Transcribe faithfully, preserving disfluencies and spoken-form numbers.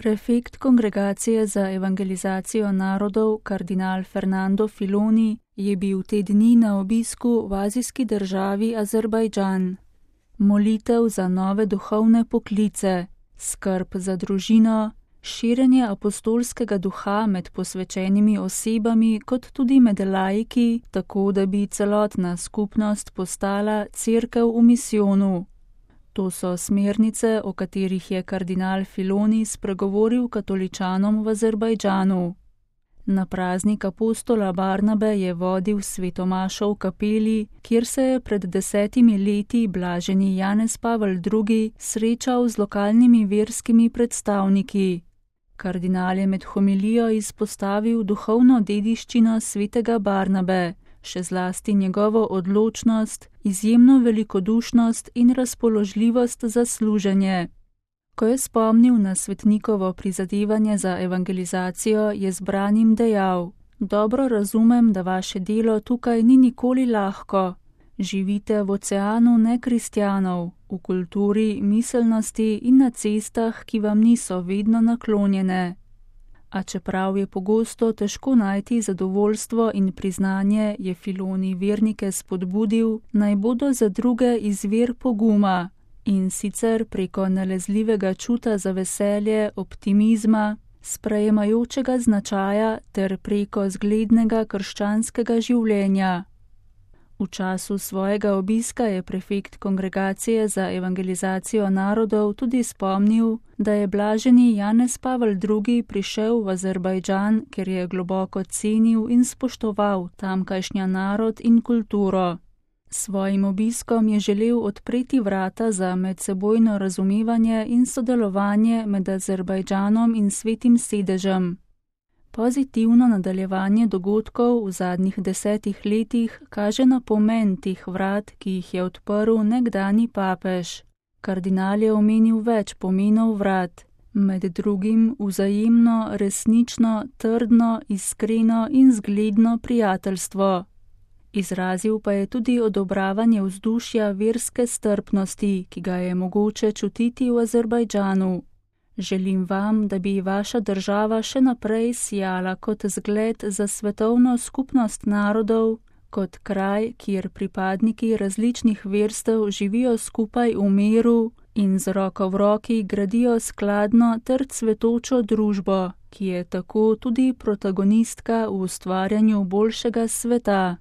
Prefekt Kongregacije za evangelizacijo narodov kardinal Fernando Filoni je bil te dni na obisku v azijski državi Azerbajdžan. Molitev za nove duhovne poklice, skrb za družino, širjenje apostolskega duha med posvečenimi osebami kot tudi med laiki, tako da bi celotna skupnost postala cerkev v misijonu. To so smernice, o katerih je kardinal Filoni spregovoril katoličanom v Azerbajdžanu. Na praznik apostola Barnabe je vodil svetomašo v kapeli, kjer se je pred desetimi leti blaženi Janez Pavel drugi srečal z lokalnimi verskimi predstavniki. Kardinal je med homilijo izpostavil duhovno dediščino svetega Barnabe, še zlasti njegovo odločnost, izjemno velikodušnost in razpoložljivost za služenje. Ko je spomnil na svetnikovo prizadevanje za evangelizacijo, je zbranim dejal: "Dobro razumem, da vaše delo tukaj ni nikoli lahko. Živite v oceanu nekristjanov, v kulturi, miselnosti in na cestah, ki vam niso vedno naklonjene. A čeprav je pogosto težko najti zadovoljstvo in priznanje, je Filoni vernike spodbudil, naj bodo za druge izvir poguma, in sicer preko nalezljivega čuta za veselje, optimizma, sprejemajočega značaja ter preko zglednega krščanskega življenja." V času svojega obiska je prefekt Kongregacije za evangelizacijo narodov tudi spomnil, da je blaženi Janez Pavel drugi prišel v Azerbajdžan, ker je globoko cenil in spoštoval tamkajšnja narod in kulturo. S svojim obiskom je želel odpreti vrata za medsebojno razumevanje in sodelovanje med Azerbajdžanom in Svetim sedežem. Pozitivno nadaljevanje dogodkov v zadnjih desetih letih kaže na pomen teh vrat, ki jih je odprl nekdanji papež. Kardinal je omenil več pomenov vrat, med drugim vzajemno, resnično, trdno, iskreno in zgledno prijateljstvo. Izrazil pa je tudi odobravanje vzdušja verske strpnosti, ki ga je mogoče čutiti v Azerbajdžanu. "Želim vam, da bi vaša država še naprej sijala kot zgled za svetovno skupnost narodov, kot kraj, kjer pripadniki različnih verstev živijo skupaj v miru in z roko v roki gradijo skladno ter cvetočo družbo, ki je tako tudi protagonistka v ustvarjanju boljšega sveta."